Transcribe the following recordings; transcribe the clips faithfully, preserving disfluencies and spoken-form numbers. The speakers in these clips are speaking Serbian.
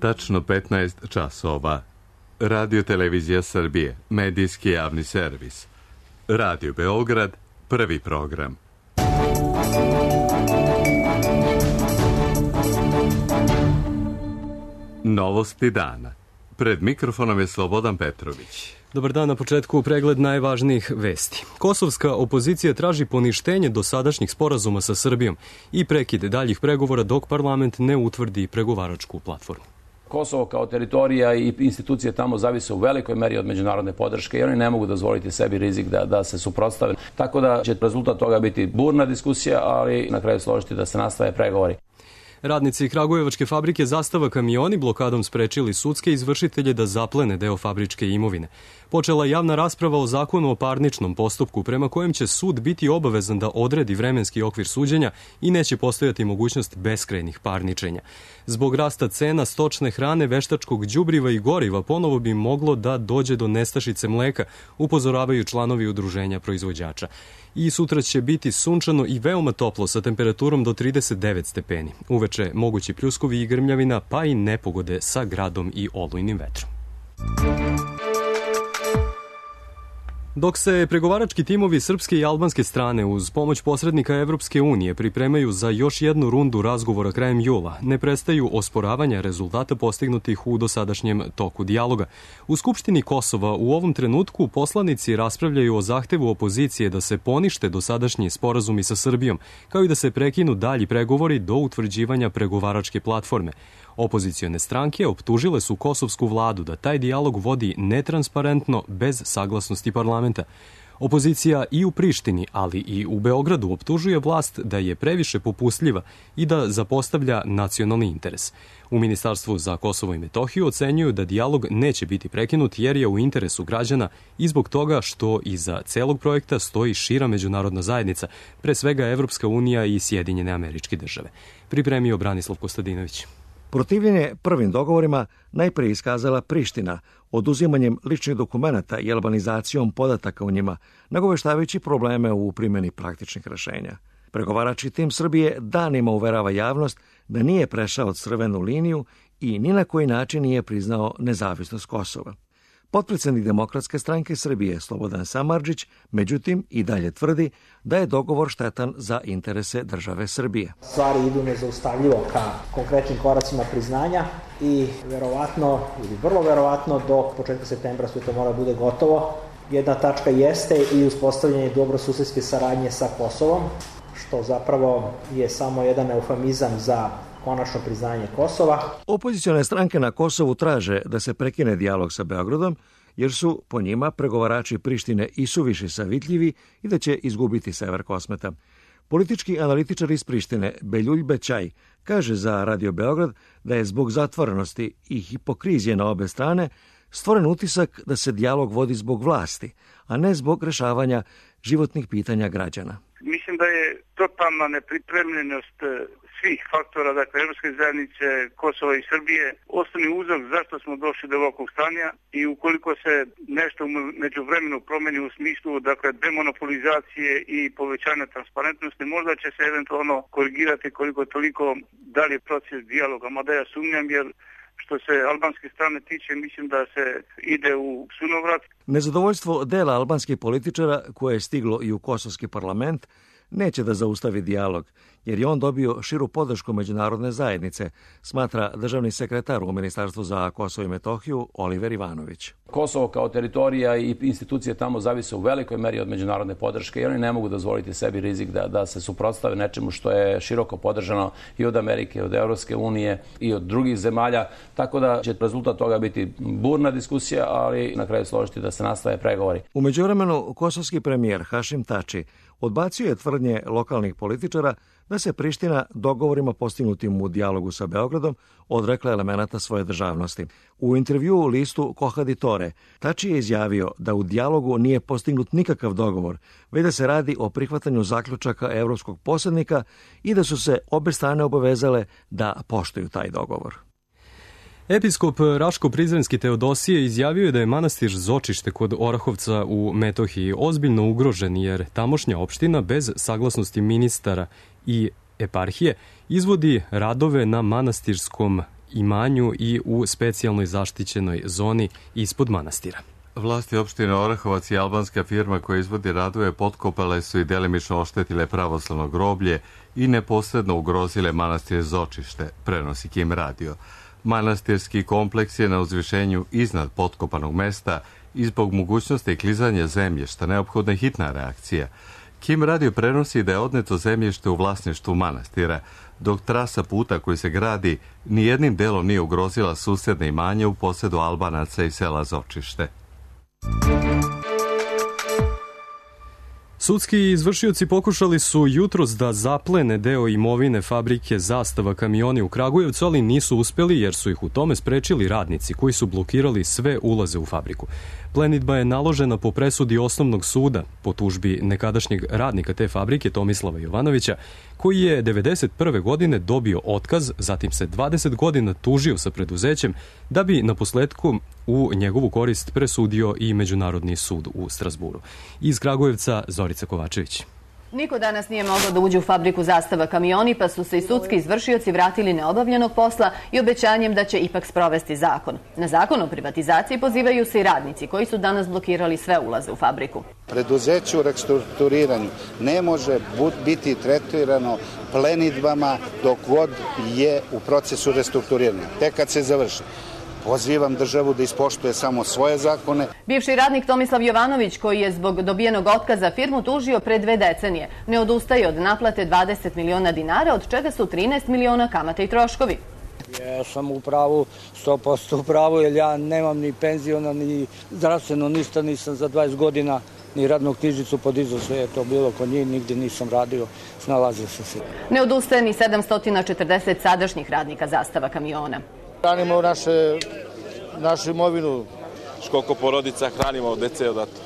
Tačno petnaest časova. Radio Televizija Srbije, medijski javni servis. Radio Beograd, prvi program. Novosti dana. Pred mikrofonom je Slobodan Petrović. Dobar dan, na početku pregled najvažnijih vesti. Kosovska opozicija traži poništenje dosadašnjih sporazuma sa Srbijom i prekid daljih pregovora dok parlament ne utvrdi pregovaračku platformu. Kosovo kao teritorija i institucije tamo zavise u velikoj meri od međunarodne podrške i oni ne mogu dozvoliti sebi rizik da, da se suprotstave. Tako da će rezultat toga biti burna diskusija, ali na kraju složiti da se nastave pregovori. Radnici Kragujevačke fabrike Zastava kamioni blokadom sprečili sudske izvršitelje da zaplene deo fabričke imovine. Počela javna rasprava o zakonu o parničnom postupku prema kojem će sud biti obavezan da odredi vremenski okvir suđenja i neće postojati mogućnost beskrajnih parničenja. Zbog rasta cena stočne hrane, veštačkog đubriva i goriva ponovo bi moglo da dođe do nestašice mleka, upozoravaju članovi udruženja proizvođača. I sutra će biti sunčano i veoma toplo sa temperaturom do trideset devet stepeni. Uveče mogući pljuskovi i grmljavina, pa i nepogode sa gradom i olujnim vetrom. Dok se pregovarački timovi srpske i albanske strane uz pomoć posrednika Evropske unije pripremaju za još jednu rundu razgovora krajem jula, ne prestaju osporavanja rezultata postignutih u dosadašnjem toku dijaloga. U Skupštini Kosova u ovom trenutku poslanici raspravljaju o zahtevu opozicije da se ponište dosadašnji sporazumi sa Srbijom, kao i da se prekinu dalji pregovori do utvrđivanja pregovaračke platforme. Opozicione stranke optužile su kosovsku vladu da taj dijalog vodi netransparentno bez saglasnosti parlamenta. Opozicija i u Prištini, ali i u Beogradu optužuje vlast da je previše popustljiva i da zapostavlja nacionalni interes. U Ministarstvu za Kosovo i Metohiju ocenjuju da dijalog neće biti prekinut jer je u interesu građana i zbog toga što iza celog projekta stoji šira međunarodna zajednica, pre svega Evropska unija i Sjedinjene Američke Države. Pripremio Branislav Kostadinović. Protivljenje prvim dogovorima najprije iskazala Priština, oduzimanjem ličnih dokumenata i albanizacijom podataka u njima, nagoveštavajući probleme u primjeni praktičnih rešenja. Pregovarački tim Srbije danima uverava javnost da nije prešao crvenu liniju i ni na koji način nije priznao nezavisnost Kosova. Potpredsednik Demokratske stranke Srbije Slobodan Samardžić, međutim, i dalje tvrdi da je dogovor štetan za interese države Srbije. Stvari idu nezaustavljivo ka konkretnim koracima priznanja i verovatno, ili vrlo verovatno, do početka septembra sve to mora bude gotovo. Jedna tačka jeste i uspostavljanje dobrosusedske saradnje sa Kosovom, što zapravo je samo jedan eufemizam za konačno priznanje Kosova. Opozicione stranke na Kosovu traže da se prekine dijalog sa Beogradom, jer su po njima pregovarači Prištine i suviše savitljivi i da će izgubiti sever Kosmeta. Politički analitičar iz Prištine Beljulj Bećaj kaže za Radio Beograd da je zbog zatvorenosti i hipokrizije na obe strane stvoren utisak da se dijalog vodi zbog vlasti, a ne zbog rešavanja životnih pitanja građana. Mislim da je totalna nepripremljenost svih faktora, dakle, Evropske zajednice, Kosova i Srbije, osnovni uzrok zašto smo došli do ovakvog stanja i ukoliko se nešto među vremenu promeni u smislu, dakle, demonopolizacije i povećanja transparentnosti, možda će se eventualno korigirati koliko toliko dalje proces dijaloga, mada ja sumnjam jer što se albanske strane tiče, mislim da se ide u sunovrat. Nezadovoljstvo dela albanskih političara koje je stiglo i u kosovski parlament neće da zaustavi dijalog, jer je on dobio širu podršku međunarodne zajednice, smatra državni sekretar u Ministarstvu za Kosovo i Metohiju Oliver Ivanović. Kosovo kao teritorija i institucije tamo zavise u velikoj meri od međunarodne podrške i oni ne mogu dozvoliti sebi rizik da, da se suprotstave nečemu što je široko podržano i od Amerike, i od Evropske unije i od drugih zemalja, tako da će rezultat toga biti burna diskusija, ali na kraju složiti da se nastave pregovori. U međuvremenu, kosovski premijer Hašim Tači odbacio je tvrdnje lokalnih političara da se Priština dogovorima postignutim u dijalogu sa Beogradom odrekla elemenata svoje državnosti. U intervjuu u listu Kohaditore, Tači je izjavio da u dijalogu nije postignut nikakav dogovor, već da se radi o prihvatanju zaključaka evropskog posrednika i da su se obe strane obavezale da poštuju taj dogovor. Episkop Raško-Prizrenski Teodosije izjavio je da je manastir Zočište kod Orahovca u Metohiji ozbiljno ugrožen jer tamošnja opština bez saglasnosti ministara i eparhije izvodi radove na manastirskom imanju i u specijalnoj zaštićenoj zoni ispod manastira. Vlasti opštine Orahovac i albanska firma koja izvodi radove potkopale su i delimično oštetile pravoslavno groblje i neposredno ugrozile manastir Zočište, prenosi Kim radio. Manastirski kompleks je na uzvišenju iznad potkopanog mesta i zbog mogućnosti klizanja zemljišta neophodna je hitna reakcija. Kim radio prenosi da je odneto zemljište u vlasništvu manastira, dok trasa puta koji se gradi nijednim delom nije ugrozila susedne imanje u posedu Albanaca i sela Zočište. Sudski izvršioci pokušali su jutros da zaplene deo imovine fabrike Zastava kamioni u Kragujevcu, ali nisu uspeli jer su ih u tome sprečili radnici koji su blokirali sve ulaze u fabriku. Plenidba je naložena po presudi osnovnog suda po tužbi nekadašnjeg radnika te fabrike Tomislava Jovanovića, koji je devedeset prve godine dobio otkaz, zatim se dvadeset godina tužio sa preduzećem da bi na posledku u njegovu korist presudio i Međunarodni sud u Strazburu. Iz Kragujevca Zorica Kovačević. Niko danas nije mogao da uđe u fabriku Zastava kamioni, pa su se i sudski izvršioci vratili neobavljenog posla i obećanjem da će ipak sprovesti zakon. Na zakon o privatizaciji pozivaju se i radnici koji su danas blokirali sve ulaze u fabriku. Preduzeće u restrukturiranju ne može biti tretirano plenidbama dok god je u procesu restrukturiranja. Tek kad se završi. Pozivam državu da ispoštuje samo svoje zakone. Bivši radnik Tomislav Jovanović, koji je zbog dobijenog otkaza firmu tužio pre dve decenije, ne odustaje od naplate dvadeset miliona dinara, od čega su trinaest miliona kamate i troškovi. Ja sam u pravu, sto posto u pravu, jer ja nemam ni penziona, ni zdravstveno, ništa nisam za dvadeset godina, ni radnu knjižicu podizao, sve je to bilo kod njih, nigdje nisam radio, snalazio sam se. Ne odustaje ni sedamsto četrdeset sadašnjih radnika Zastava kamiona. Hranimo naše, našu imovinu. Koliko porodica hranimo od dece odato.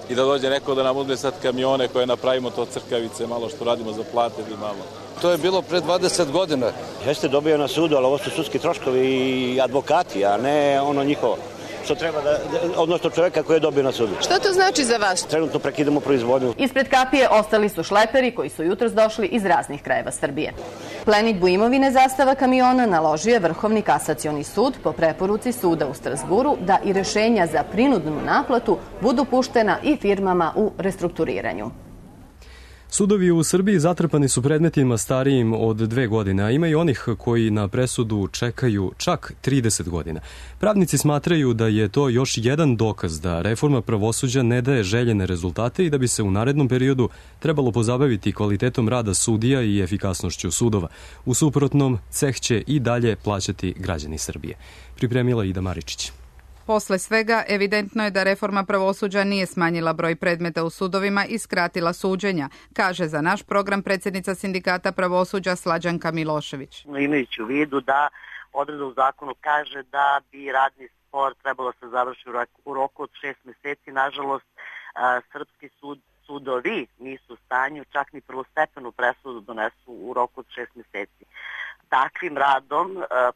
I da dođe neko da nam uzme sad kamione koje napravimo to crkavice, malo što radimo za plate ili malo. To je bilo pre dvadeset godina. Jeste dobio na sudu, ali ovo su sudski troškovi i advokati, a ne ono njihovo. Što treba da, odnosno čoveka koji je dobio na sudu. Što to znači za vas? Trenutno prekidamo proizvodnju. Ispred kapije ostali su šleperi koji su jutros došli iz raznih krajeva Srbije. Plenidbu imovine Zastava kamiona naložio je Vrhovni kasacioni sud po preporuci suda u Strazburu da i rešenja za prinudnu naplatu budu puštena i firmama u restrukturiranju. Sudovi u Srbiji zatrpani su predmetima starijim od dve godine, a ima i onih koji na presudu čekaju čak trideset godina. Pravnici smatraju da je to još jedan dokaz da reforma pravosuđa ne daje željene rezultate i da bi se u narednom periodu trebalo pozabaviti kvalitetom rada sudija i efikasnošću sudova. U suprotnom, ceh će i dalje plaćati građani Srbije. Pripremila Ida Maričić. Posle svega, evidentno je da reforma pravosuđa nije smanjila broj predmeta u sudovima i skratila suđenja, kaže za naš program predsjednica Sindikata pravosuđa Slađanka Milošević. Imajući u vidu da odredba u zakonu kaže da bi radni spor trebalo se završiti u roku od šest meseci, nažalost, srpski sud, sudovi nisu u stanju čak ni prvostepenu presudu donesu u roku od šest meseci. Takvim radom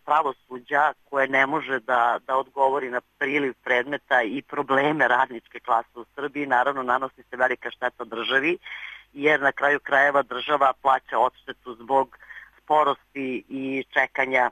pravosuđa koje ne može da, da odgovori na priliv predmeta i probleme radničke klase u Srbiji, naravno nanosi se velika šteta državi, jer na kraju krajeva država plaća odštetu zbog sporosti i čekanja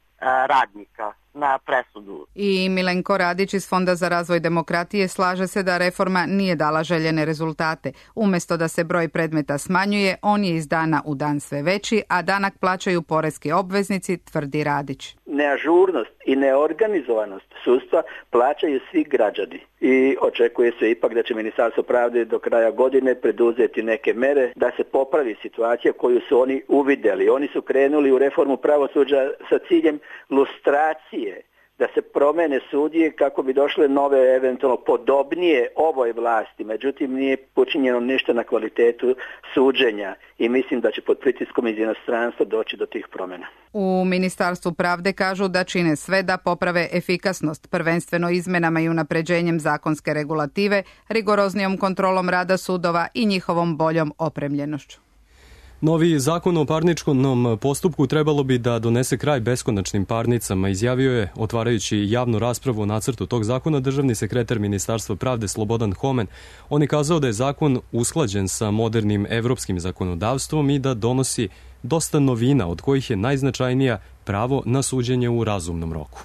radnika na presudu. I Milenko Radić iz Fonda za razvoj demokratije slaže se da reforma nije dala željene rezultate. Umesto da se broj predmeta smanjuje, on je iz dana u dan sve veći, a danak plaćaju poreski obveznici, tvrdi Radić. Neažurnost i neorganizovanost sudstva plaćaju svi građani i očekuje se ipak da će Ministarstvo pravde do kraja godine preduzeti neke mere da se popravi situacija koju su oni uvideli. Oni su krenuli u reformu pravosuđa sa ciljem lustracije, da se promene sudije kako bi došle nove, eventualno podobnije ovoj vlasti. Međutim, nije počinjeno ništa na kvalitetu suđenja i mislim da će pod pritiskom iz inostranstva doći do tih promjena. U Ministarstvu pravde kažu da čine sve da poprave efikasnost, prvenstveno izmenama i unapređenjem zakonske regulative, rigoroznijom kontrolom rada sudova i njihovom boljom opremljenošću. Novi zakon o parničnom postupku trebalo bi da donese kraj beskonačnim parnicama, izjavio je, otvarajući javnu raspravu o nacrtu tog zakona, državni sekretar Ministarstva pravde Slobodan Homen. On je kazao da je zakon usklađen sa modernim evropskim zakonodavstvom i da donosi dosta novina, od kojih je najznačajnija pravo na suđenje u razumnom roku.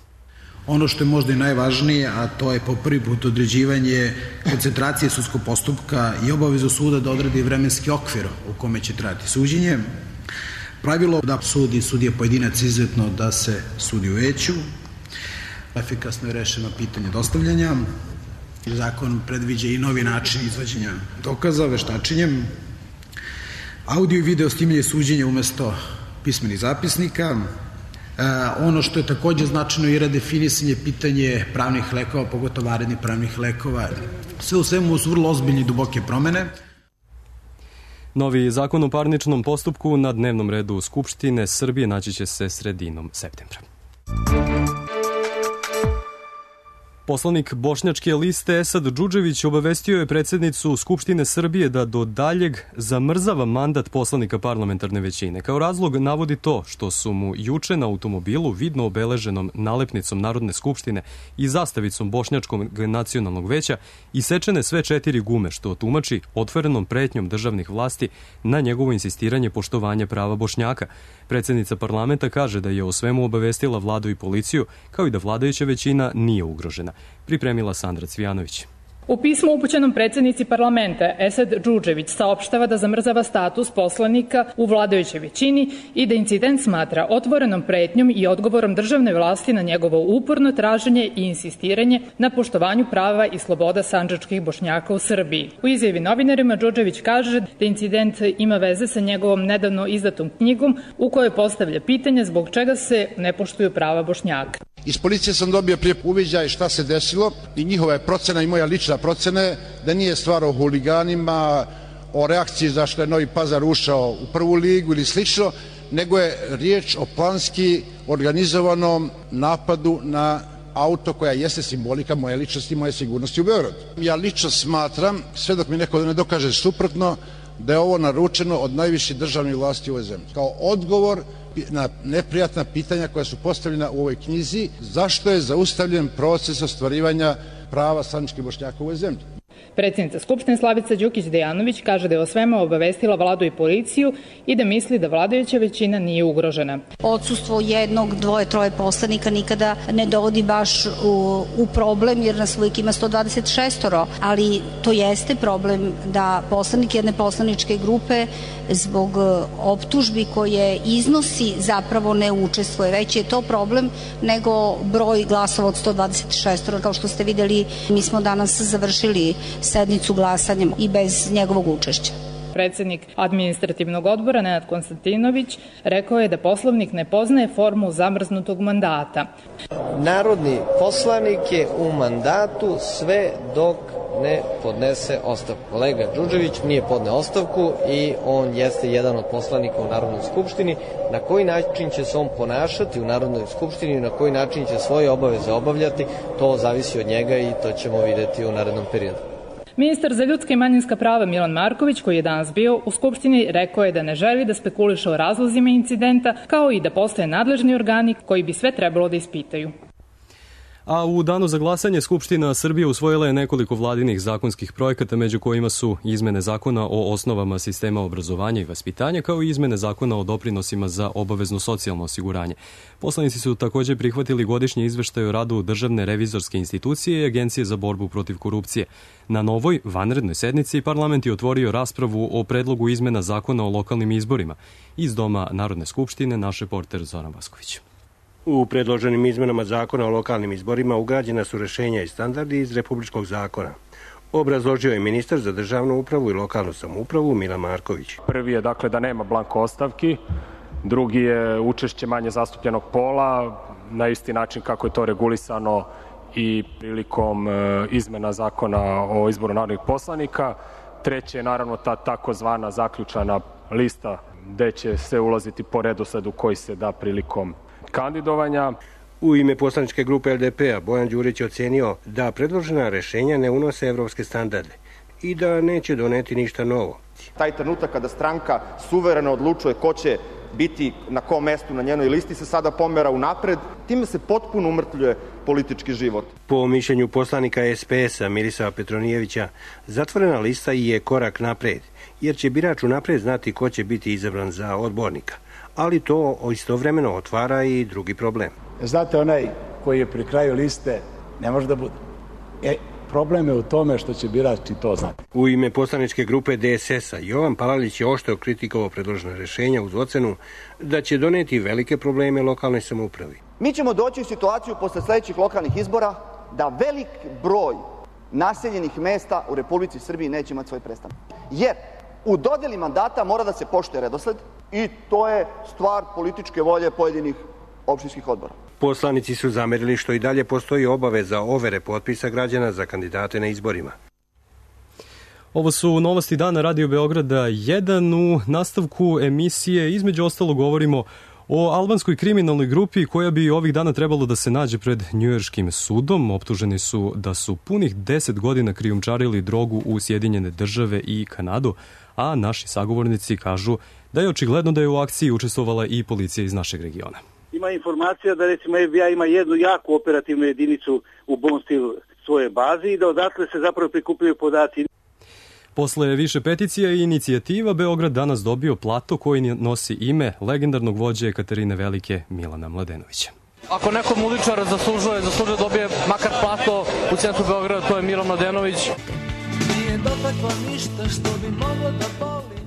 Ono što je možda i najvažnije, a to je po prvi put određivanje koncentracije sudskog postupka i obavezu suda da odredi vremenski okvir u kome će trajati suđenje. Pravilo da sudi sudija pojedinac izuzetno da se sudi u veću. Efikasno je rešeno pitanje dostavljanja. Zakon predviđa i novi način izvođenja dokaza veštačenjem. Audio i video snimanje suđenja umesto pismenih zapisnika. E, ono što je takođe značajno je redefinisanje pitanje pravnih lekova, pogotovo vanrednih pravnih lekova. Sve u svemu su vrlo ozbiljne i duboke promene. Novi zakon o parničnom postupku na dnevnom redu Skupštine Srbije naći će se sredinom septembra. Poslanik bošnjačke liste Esad Džudžević obavestio je predsjednicu Skupštine Srbije da do daljeg zamrzava mandat poslanika parlamentarne većine. Kao razlog navodi to što su mu juče na automobilu vidno obeleženom nalepnicom Narodne skupštine i zastavicom Bošnjačkog nacionalnog veća isečene sve četiri gume, što tumači otvorenom pretnjom državnih vlasti na njegovo insistiranje poštovanja prava Bošnjaka. Predsjednica parlamenta kaže da je o svemu obavestila vladu i policiju, kao i da vladajuća većina nije ugrožena. Pripremila Sandra Cvijanović. U pismu upućenom predsjednici parlamenta Esad Džudžević saopštava da zamrzava status poslanika u vladajućoj većini i da incident smatra otvorenom pretnjom i odgovorom državne vlasti na njegovo uporno traženje i insistiranje na poštovanju prava i sloboda sandžačkih Bošnjaka u Srbiji. U izjavi novinarima Džudžević kaže da incident ima veze sa njegovom nedavno izdatom knjigom u kojoj postavlja pitanje zbog čega se ne poštuju prava Bošnjaka. Iz policije sam dobio prije uviđaj šta se desilo i njihova je procena i moja lična procena je da nije stvar o huliganima, o reakciji zašto je Novi Pazar ušao u prvu ligu ili slično, nego je riječ o planski organizovanom napadu na auto koja jeste simbolika moje ličnosti i moje sigurnosti u Beogradu. Ja lično smatram, sve dok mi neko ne dokaže suprotno, da je ovo naručeno od najviših državnih vlasti u ovoj zemlji. Kao odgovor na neprijatna pitanja koja su postavljena u ovoj knjizi, zašto je zaustavljen proces ostvarivanja prava sandžačkih Bošnjaka u ovoj zemlji. Predsjednica Skupštine Slavica Đukić-Dejanović kaže da je o svemu obavestila vladu i policiju i da misli da vladajuća većina nije ugrožena. Odsustvo jednog, dvoje, troje poslanika nikada ne dovodi baš u, u problem jer nas uvijek ima sto dvadeset šest, ali to jeste problem da poslanik jedne poslaničke grupe zbog optužbi koje iznosi zapravo ne učestvuje. Već je to problem nego broj glasova od sto dvadeset šest. Kao što ste vidjeli, mi smo danas završili sednicu glasanjem i bez njegovog učešća. Predsjednik administrativnog odbora Nenad Konstantinović rekao je da Poslovnik ne poznaje formu zamrznutog mandata. Narodni poslanik je u mandatu sve dok ne podnese ostavku. Kolega Đurđević nije podneo ostavku i on jeste jedan od poslanika u Narodnoj skupštini. Na koji način će se on ponašati u Narodnoj skupštini i na koji način će svoje obaveze obavljati, to zavisi od njega i to ćemo vidjeti u narednom periodu. Ministar za ljudska i manjinska prava Milan Marković, koji je danas bio u Skupštini, rekao je da ne želi da spekuliše o razlozima incidenta, kao i da postoje nadležni organi koji bi sve trebalo da ispitaju. A u danu za glasanje Skupština Srbije usvojila je nekoliko vladinih zakonskih projekata, među kojima su izmene zakona o osnovama sistema obrazovanja i vaspitanja, kao i izmene zakona o doprinosima za obavezno socijalno osiguranje. Poslanici su također prihvatili godišnji izveštaj o radu Državne revizorske institucije i Agencije za borbu protiv korupcije. Na novoj vanrednoj sednici parlament je otvorio raspravu o predlogu izmena zakona o lokalnim izborima. Iz Doma Narodne skupštine naš reporter Zoran Vasković. U predloženim izmenama zakona o lokalnim izborima ugrađena su rešenja i standardi iz Republičkog zakona. Obrazložio je ministar za državnu upravu i lokalnu samoupravu Milan Marković. Prvi je dakle da nema blanko ostavki, drugi je učešće manje zastupljenog pola, na isti način kako je to regulisano i prilikom izmena zakona o izboru narodnih poslanika. Treće je naravno ta takozvana zaključana lista gde će se ulaziti po redosledu koji se da prilikom kandidovanja. U ime poslaničke grupe L D P-a Bojan Đurić je ocenio da predložena rešenja ne unose evropske standarde i da neće doneti ništa novo. Taj trenutak kada stranka suvereno odlučuje ko će biti na kom mestu na njenoj listi se sada pomera unapred, time se potpuno umrtvljuje politički život. Po mišljenju poslanika S P S-a Mirisava Petronijevića, zatvorena lista je korak napred, jer će birač unaprijed znati ko će biti izabran za odbornika. Ali to istovremeno otvara i drugi problem. Znate, onaj koji je pri kraju liste ne može da bude. E, problem je u tome što će birač i to znati. U ime poslaničke grupe D S S-a Jovan Palalić je oštro kritikovao predložena rešenja uz ocenu da će doneti velike probleme lokalnoj samoupravi. Mi ćemo doći u situaciju posle sledećih lokalnih izbora da velik broj naseljenih mesta u Republici Srbiji neće imati svoj predstavnik. Jer u dodeli mandata mora da se poštuje redosled i to je stvar političke volje pojedinih opštinskih odbora. Poslanici su zamerili što i dalje postoji obaveza overe potpisa građana za kandidate na izborima. Ovo su novosti dana Radio Beograda jedan. U nastavku emisije između ostalo govorimo o albanskoj kriminalnoj grupi koja bi ovih dana trebalo da se nađe pred njujorškim sudom. Optuženi su da su punih deset godina krijumčarili drogu u Sjedinjene države i Kanadu, a naši sagovornici kažu da je očigledno da je u akciji učestvovala i policija iz našeg regiona. Ima informacija da recimo F B I ima jednu jaku operativnu jedinicu u Bonstil svoje bazi i da odatle se zapravo prikupljaju podaci. Posle više peticija i inicijativa, Beograd danas dobio plato koji nosi ime legendarnog vođe Katarine Velike Milana Mladenovića. Ako neko muzičar zaslužuje, zaslužuje dobije makar plato u centru Beograda, to je Milan Mladenović. Nije dotakla ništa što bi moglo da boli.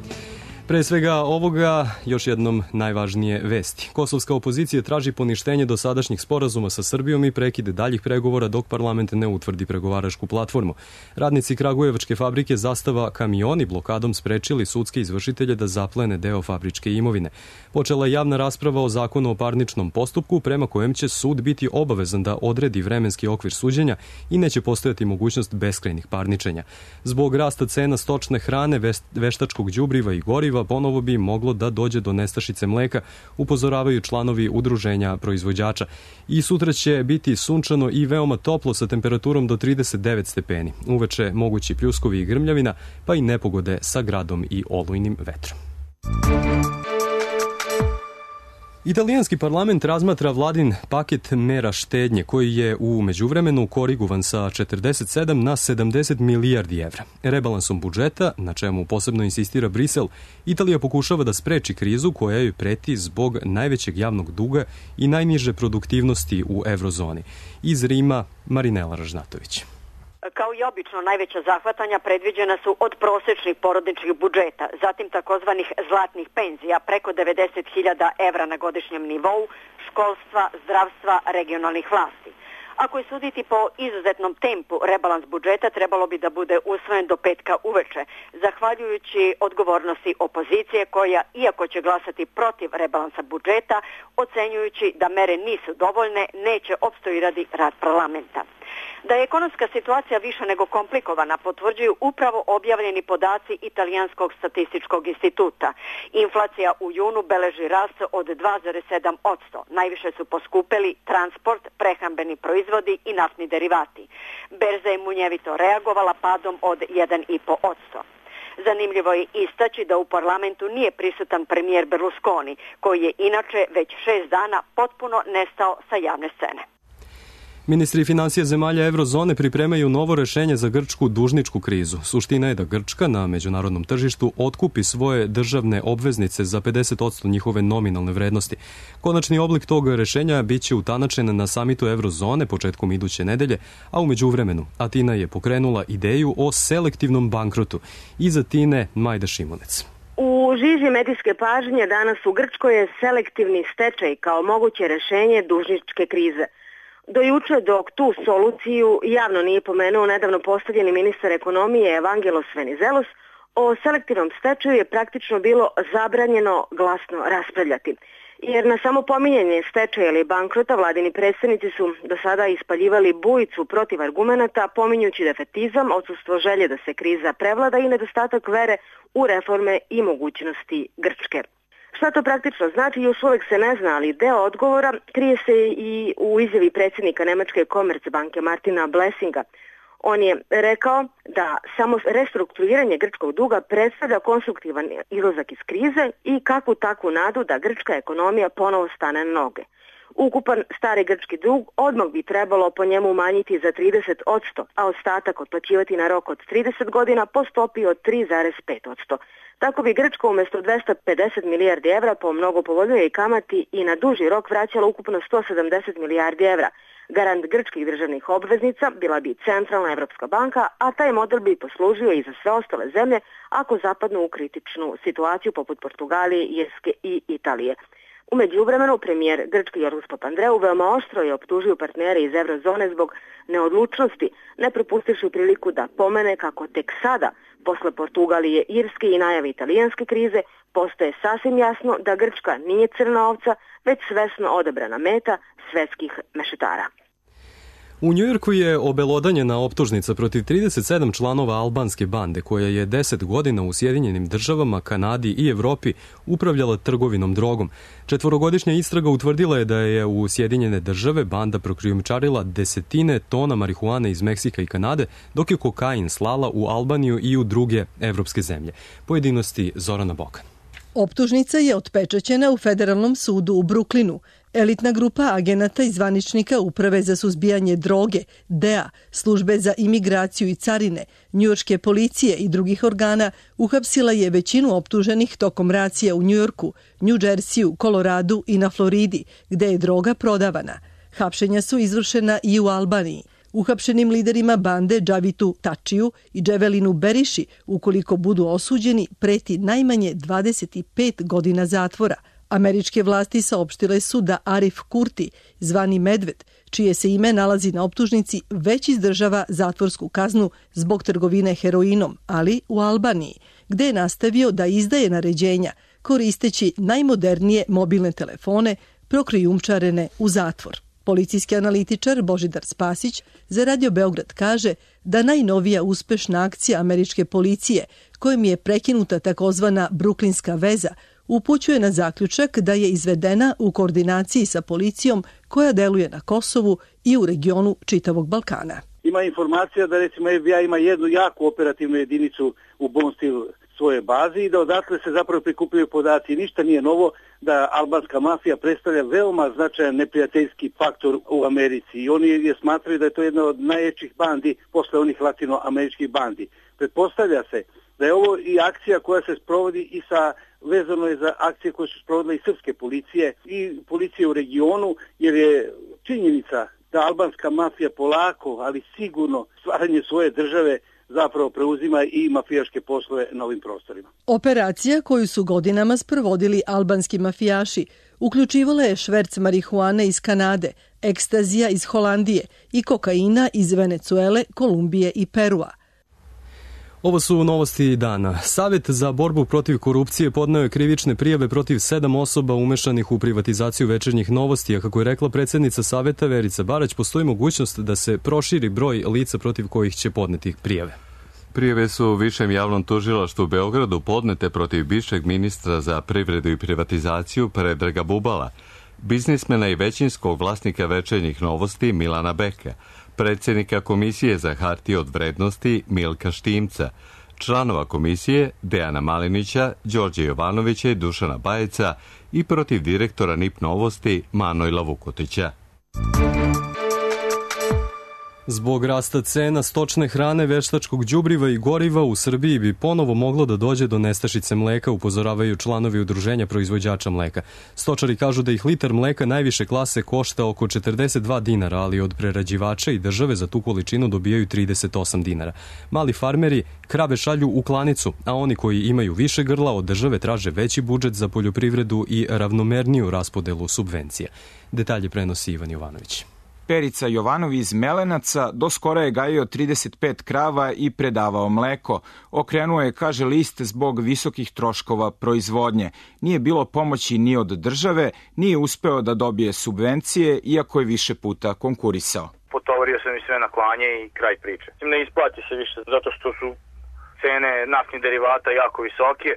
Pre svega ovoga, još jednom najvažnije vesti. Kosovska opozicija traži poništenje dosadašnjih sporazuma sa Srbijom i prekide daljih pregovora dok parlament ne utvrdi pregovaračku platformu. Radnici kragujevačke fabrike Zastava Kamioni blokadom sprečili sudske izvršitelje da zaplene deo fabričke imovine. Počela je javna rasprava o zakonu o parničnom postupku prema kojem će sud biti obavezan da odredi vremenski okvir suđenja i neće postojati mogućnost beskrajnih parničenja. Zbog rasta cena stočne hrane, veštačkog đubriva i goriva ponovo bi moglo da dođe do nestašice mleka, upozoravaju članovi udruženja proizvođača. I sutra će biti sunčano i veoma toplo sa temperaturom do trideset devet stepeni. Uveče mogući pljuskovi i grmljavina, pa i nepogode sa gradom i olujnim vetrom. Italijanski parlament razmatra vladin paket mera štednje koji je u međuvremenu korigovan sa četrdeset sedam na sedamdeset milijardi evra. Rebalansom budžeta, na čemu posebno insistira Brisel, Italija pokušava da spreči krizu koja joj preti zbog najvećeg javnog duga i najniže produktivnosti u evrozoni. Iz Rima, Marinela Ražnatović. Kao i obično, najveća zahvatanja predviđena su od prosečnih porodičnih budžeta, zatim takozvanih zlatnih penzija preko devedeset hiljada evra na godišnjem nivou, školstva, zdravstva, regionalnih vlasti. Ako je suditi po izuzetnom tempu, rebalans budžeta trebalo bi da bude usvojen do petka uveče, zahvaljujući odgovornosti opozicije koja, iako će glasati protiv rebalansa budžeta, ocenjujući da mere nisu dovoljne, neće opstruirati rad parlamenta. Da je ekonomska situacija više nego komplikovana potvrđuju upravo objavljeni podaci Italijanskog statističkog instituta. Inflacija u junu beleži rast od dva zarez sedam posto. Najviše su poskupeli transport, prehrambeni proizvodi i naftni derivati. Berza je munjevito reagovala padom od jedan zarez pet posto. Zanimljivo je istaći da u parlamentu nije prisutan premijer Berlusconi, koji je inače već šest dana potpuno nestao sa javne scene. Ministri financija zemalja evrozone pripremaju novo rešenje za grčku dužničku krizu. Suština je da Grčka na međunarodnom tržištu otkupi svoje državne obveznice za pedeset posto njihove nominalne vrednosti. Konačni oblik tog rešenja biće utanačen na samitu evrozone početkom iduće nedelje, a u međuvremenu Atina je pokrenula ideju o selektivnom bankrotu. Iz Atine Majda Šimunec. U žiži medijske pažnje danas u Grčkoj je selektivni stečaj kao moguće rešenje dužničke krize. Do juče, dok tu soluciju javno nije pomenuo nedavno postavljeni ministar ekonomije Evangelos Venizelos, o selektivnom stečaju je praktično bilo zabranjeno glasno raspravljati. Jer na samo pominjanje stečaja ili bankrota vladini predstavnici su do sada ispaljivali bujicu protiv argumenata, pominjući defetizam, odsustvo želje da se kriza prevlada i nedostatak vere u reforme i mogućnosti Grčke. Šta to praktično znači, još uvek se ne zna, ali deo odgovora krije se i u izjavi predsjednika Nemačke Commerzbanke Martina Blessinga. On je rekao da samo restrukturiranje grčkog duga predstavlja konstruktivan izlazak iz krize i kakvu takvu nadu da grčka ekonomija ponovo stane na noge. Ukupan stari grčki dug odmah bi trebalo po njemu umanjiti za trideset posto, a ostatak otplaćivati na rok od trideset godina po stopi od tri zarez pet posto. Tako bi Grčka umjesto dvesta pedeset milijardi evra po mnogo povoljnijoj kamati i na duži rok vraćala ukupno sto sedamdeset milijardi evra. Garant grčkih državnih obveznica bila bi Centralna Evropska banka, a taj model bi poslužio i za sve ostale zemlje ako zapadnu u kritičnu situaciju poput Portugalije, Irske i Italije. U međuvremenu, premijer grčki Jorgos Papandreou veoma oštro je optužio partnere iz eurozone zbog neodlučnosti, ne propustivši priliku da pomene kako tek sada, posle Portugalije, Irske i najave italijanske krize, postaje sasvim jasno da Grčka nije crna ovca, već svesno odabrana meta svetskih mešetara. U Njujorku je obelodanjena optužnica protiv trideset sedam članova albanske bande koja je deset godina u Sjedinjenim državama, Kanadi i Evropi upravljala trgovinom drogom. Četvorogodišnja istraga utvrdila je da je u Sjedinjene države banda prokrijumčarila desetine tona marihuane iz Meksika i Kanade, dok je kokain slala u Albaniju i u druge evropske zemlje. Pojedinosti Zorana Bokan. Optužnica je otpečaćena u Federalnom sudu u Bruklinu. Elitna grupa agenata i zvaničnika Uprave za suzbijanje droge, D E A, Službe za imigraciju i carine, njujorške policije i drugih organa uhapsila je većinu optuženih tokom racija u Njujorku, New Jersey, Koloradu i na Floridi, gde je droga prodavana. Hapšenja su izvršena i u Albaniji. Uhapšenim liderima bande Džavitu Tačiju i Dževelinu Beriši, ukoliko budu osuđeni, preti najmanje dvadeset pet godina zatvora. Američke vlasti saopštile su da Arif Kurti, zvani Medved, čije se ime nalazi na optužnici, već izdržava zatvorsku kaznu zbog trgovine heroinom, ali u Albaniji, gde je nastavio da izdaje naređenja koristeći najmodernije mobilne telefone prokrijumčarene u zatvor. Policijski analitičar Božidar Spasić za Radio Beograd kaže da najnovija uspešna akcija američke policije, kojim je prekinuta takozvana bruklinska veza, upućuje na zaključak da je izvedena u koordinaciji sa policijom koja deluje na Kosovu i u regionu čitavog Balkana. Ima informacija da recimo F B I ima jednu jaku operativnu jedinicu u Bonstil svoje bazi i da odatle se zapravo prikupljaju podaci. Ništa nije novo da albanska mafija predstavlja veoma značajan neprijateljski faktor u Americi i oni je smatraju da je to jedna od najjačih bandi posle onih latinoameričkih bandi. Pretpostavlja se da je ovo i akcija koja se sprovodi i sa vezano je za akcije koje su sprovodile i srpske policije i policije u regionu, jer je činjenica da albanska mafija polako, ali sigurno stvaranje svoje države zapravo preuzima i mafijaške poslove na ovim prostorima. Operacija koju su godinama sprovodili albanski mafijaši uključivala je šverc marihuane iz Kanade, ekstazija iz Holandije i kokaina iz Venecuele, Kolumbije i Perua. Ovo su novosti dana. Savet za borbu protiv korupcije podneo je krivične prijave protiv sedam osoba umešanih u privatizaciju Večernjih novosti, a kako je rekla predsjednica Saveta Verica Barać, postoji mogućnost da se proširi broj lica protiv kojih će podneti prijave. Prijave su u Višem javnom tužilaštvu u Beogradu podnete protiv bivšeg ministra za privredu i privatizaciju Predraga Bubala, biznismena i većinskog vlasnika Večernjih novosti Milana Beka, predsjednika Komisije za hartije od vrednosti Milka Štimca, članova komisije Dejana Malinića, Đorđe Jovanovića i Dušana Bajeca i protiv direktora N I P Novosti Manojla Vukotića. Zbog rasta cena stočne hrane, veštačkog đubriva i goriva u Srbiji bi ponovo moglo da dođe do nestašice mleka, upozoravaju članovi udruženja proizvođača mleka. Stočari kažu da ih litar mleka najviše klase košta oko četrdeset dva dinara, ali od prerađivača i države za tu količinu dobijaju trideset osam dinara. Mali farmeri krave šalju u klanicu, a oni koji imaju više grla od države traže veći budžet za poljoprivredu i ravnomerniju raspodelu subvencija. Detalje prenosi Ivan Jovanović. Perica Jovanov iz Melenaca do skora je gajio trideset pet krava i predavao mleko. Okrenuo je, kaže list, zbog visokih troškova proizvodnje. Nije bilo pomoći ni od države, nije uspeo da dobije subvencije, iako je više puta konkurisao. Potovario sam i sve na klanje i kraj priče. Ne isplati se više zato što su cene naftnih derivata jako visoke.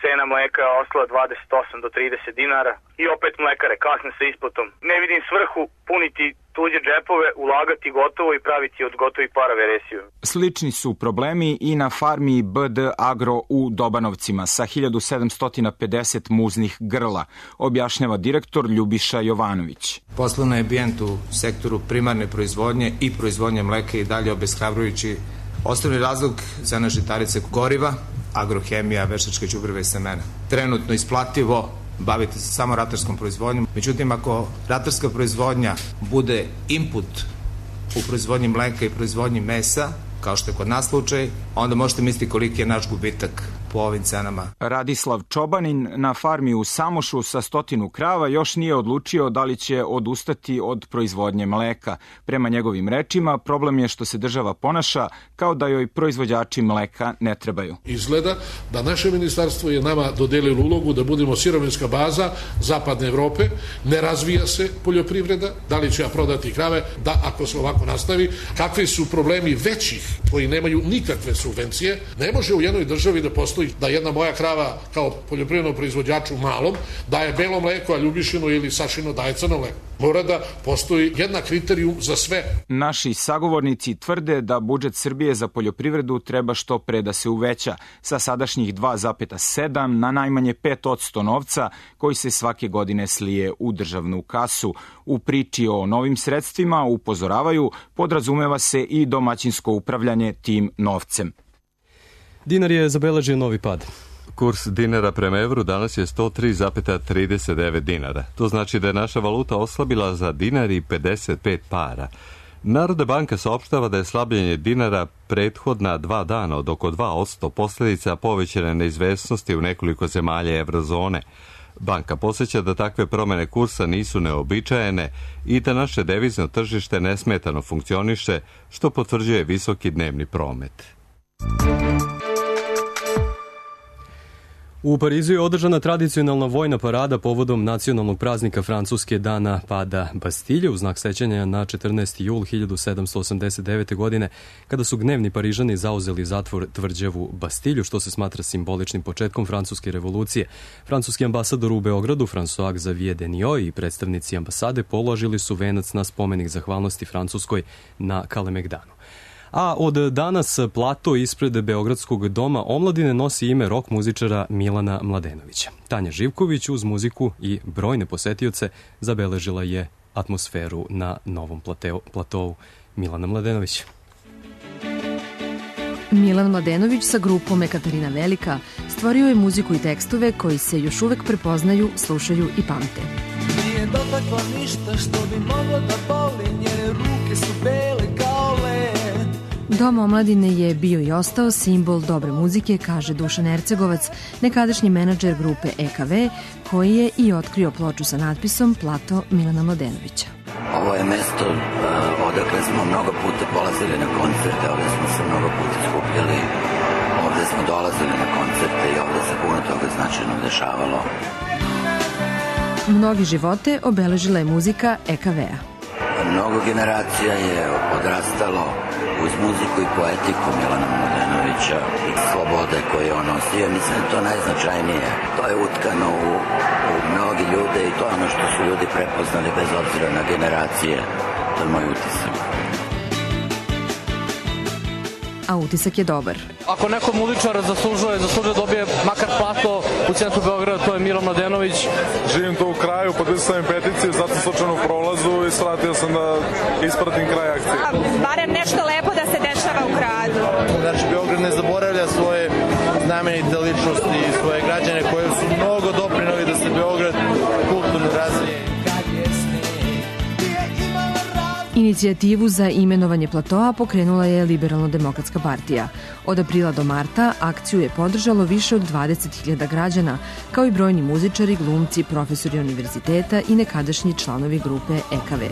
Cena mleka je ostala dvadeset osam do trideset dinara i opet mlekare kasne sa isplatom. Ne vidim svrhu puniti tuđe džepove, ulagati gotovo i praviti od gotovih para veresiju. Slični su problemi i na farmi B D Agro u Dobanovcima sa hiljadu sedamsto pedeset muznih grla, objašnjava direktor Ljubiša Jovanović. Poslovni ambijent u sektoru primarne proizvodnje i proizvodnje mleka i dalje obeshrabrujući. Osnovni razlog za naše žitarice goriva, agrohemija, veštačka đubriva i semena. Trenutno isplativo baviti se samo ratarskom proizvodnjom. Međutim, ako ratarska proizvodnja bude input u proizvodnji mleka i proizvodnji mesa, kao što je kod nas slučaj, onda možete misliti koliki je naš gubitak po ovim cenama. Radislav Čobanin na farmi u Samošu sa stotinu krava još nije odlučio da li će odustati od proizvodnje mleka. Prema njegovim rečima, problem je što se država ponaša kao da joj proizvođači mleka ne trebaju. Izgleda da naše ministarstvo je nama dodelilo ulogu da budemo sirovinska baza zapadne Evrope, ne razvija se poljoprivreda, da li će ja prodati krave, da ako se ovako nastavi, kakvi su problemi većih koji nemaju nikakve subvencije, ne može u jednoj državi da postoji da jedna moja krava kao poljoprivrednom proizvođaču malom daje belo mleko, a Ljubišino ili Sašino daje crno mleko. Mora da postoji jedna kriterijum za sve. Naši sagovornici tvrde da budžet Srbije za poljoprivredu treba što pre da se uveća sa sadašnjih dva zarez sedam na najmanje pet posto novca koji se svake godine slije u državnu kasu. U priči o novim sredstvima, upozoravaju, podrazumeva se i domaćinsko upravljanje tim novcem. Dinar je zabeležio novi pad. Kurs dinara prema evru danas je sto tri zarez trideset devet dinara. To znači da je naša valuta oslabila za dinar i pedeset pet para. Narodna banka saopštava da je slabljenje dinara prethodna dva dana od oko dva posto posljedica povećane neizvesnosti u nekoliko zemalja evrozone. Banka posjeća da takve promjene kursa nisu neobičajene i da naše devizno tržište nesmetano funkcioniše, što potvrđuje visoki dnevni promet. U Parizu je održana tradicionalna vojna parada povodom nacionalnog praznika Francuske dana pada Bastilje u znak sećanja na četrnaesti jul hiljadu sedamsto osamdeset devete. godine kada su gnevni Parižani zauzeli zatvor tvrđavu Bastilju, što se smatra simboličnim početkom francuske revolucije. Francuski ambasador u Beogradu François Xavier Deniot i predstavnici ambasade položili su venac na spomenik zahvalnosti Francuskoj na Kalemegdanu. A od danas plato ispred Beogradskog doma omladine nosi ime rok muzičara Milana Mladenovića. Tanja Živković uz muziku i brojne posetioce zabeležila je atmosferu na novom plateu, platovu Milana Mladenovića. Milan Mladenović sa grupom Ekaterina Velika stvorio je muziku i tekstove koji se još uvek prepoznaju, slušaju i pamte. Nije dotakla ništa što bi moglo da boli, njene ruke su bele kao led. Dom omladine je bio i ostao simbol dobre muzike, kaže Dušan Ercegovac, nekadašnji menadžer grupe E K V, koji je i otkrio ploču sa natpisom Plato Milana Mladenovića. Ovo je mesto uh, odakle smo mnogo puta polazili na koncerte, ovdje smo se mnogo puta skupljali, ovdje smo dolazili na koncerte i ovdje se puno toga značajno dešavalo. Mnogi živote obeležila je muzika E K V-a. Mnogo generacija je odrastalo uz muziku i poetiku Milana Mladenovića i slobode koje on nosio. Mislim da je to najznačajnije. To je utkano u, u mnogi ljude i to je ono što su ljudi prepoznali bez obzira na generacije. To je moj utisak. A utisak je dobar. Ako neko muzičar zaslužuje, zaslužuje dobije makar plato u centru Beograda, to je Milan Mladenović. Živim tu u kraju, potpisao sam peticiju, sad sam slučajno u prolazu i shvatio sam da ispratim kraj akcije. Barem nešto lepo da se dešava u gradu. Znači, Beograd ne zaboravlja svoje znamenite ličnosti i svoje građane koje su mnogo doprinali da se Beograd kulturno razvije. Inicijativu za imenovanje platoa pokrenula je Liberalno-demokratska partija. Od aprila do marta akciju je podržalo više od dvadeset hiljada građana, kao i brojni muzičari, glumci, profesori univerziteta i nekadašnji članovi grupe E K V.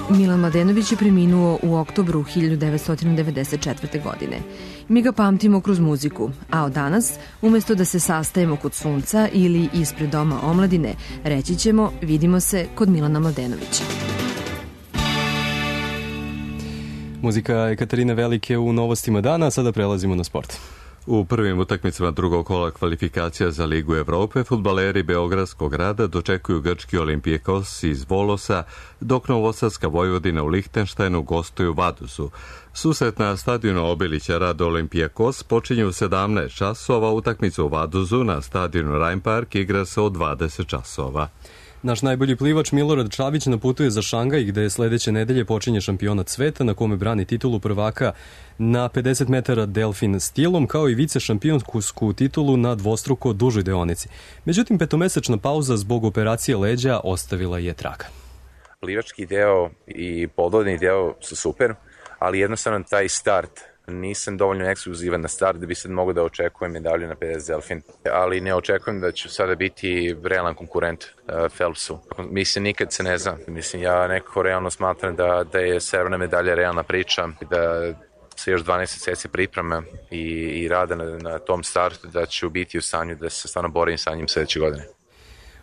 Milan Mladenović je preminuo u oktobru hiljadu devetsto devedeset četvrte. godine. Mi ga pamtimo kroz muziku, a od danas, umesto da se sastajemo kod sunca ili ispred doma omladine, reći ćemo vidimo se kod Milana Mladenovića. Muzika Ekaterine Velike u novostima dana, sada prelazimo na sport. U prvim utakmicama drugog kola kvalifikacija za Ligu Evrope fudbaleri Beogradskog rada dočekuju grčki Olimpijekos iz Volosa, dok novosadska Vojvodina u Lihtenštajnu gostuju Vadusu. Susret na stadionu Obilića Rada Olimpijekos počinje u sedamnaest časova, utakmicu u Vaduzu na stadionu Rhein Park igra se od dvadeset časova. Naš najbolji plivač Milorad Čavić naputuje za Šangaj, gde sledeće nedelje počinje šampionat sveta na kome brani titulu prvaka na pedeset metara delfin stilom, kao i vice šampionsku titulu na dvostruko dužoj deonici. Međutim, petomesečna pauza zbog operacije leđa ostavila je traga. Plivački deo i podvodni deo su super, ali jednostavno taj start, nisam dovoljno ekskluzivan na start da bi sad mogao da očekujem medalju na pedeset delfin, ali ne očekujem da ću sada biti realan konkurent uh, Phelpsu. Mislim, nikad se ne zna. Mislim, ja nekako realno smatram da, da je srebrna medalja realna priča, da se još dvanaest meseci pripreme i, i rada na, na tom startu, da ću biti u stanju da se stvarno borim sa njim sledeće godine.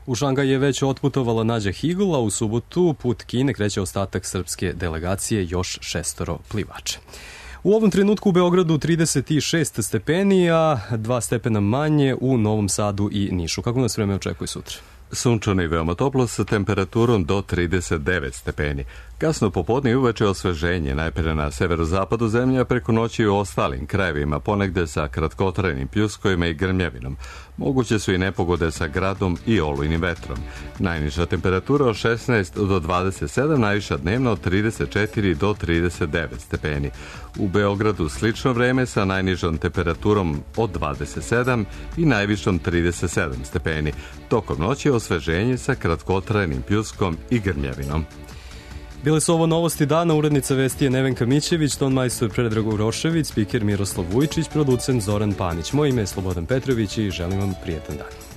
U Šangaj je već otputovala Nađa Higl, a u subotu put Kine kreće ostatak srpske delegacije, još šestoro plivača. U ovom trenutku u Beogradu trideset šest stepeni, a dva stepena manje u Novom Sadu i Nišu. Kako nas vreme očekuje sutra? Sunčano i veoma toplo sa temperaturom do trideset devet stepeni. Kasno popodne i uveče osveženje, najpre na severozapadu zemlje, a preko noći u ostalim krajevima, ponegde sa kratkotrajnim pljuskovima i grmljavinom. Moguće su i nepogode sa gradom i olujnim vetrom. Najniža temperatura od šesnaest do dvadeset sedam, najviša dnevno od trideset četiri do trideset devet stepeni. U Beogradu slično vreme sa najnižom temperaturom od dvadeset sedam i najvišom trideset sedam stepeni. Tokom noći osveženje sa kratkotrajnim pljuskom i grmljavinom. Bile su ovo novosti dana, urednica vesti je Nevenka Mićević, ton majstor Predrag Urošević, spiker Miroslav Vujčić, producent Zoran Panić. Moje ime je Slobodan Petrović i želim vam prijetan dan.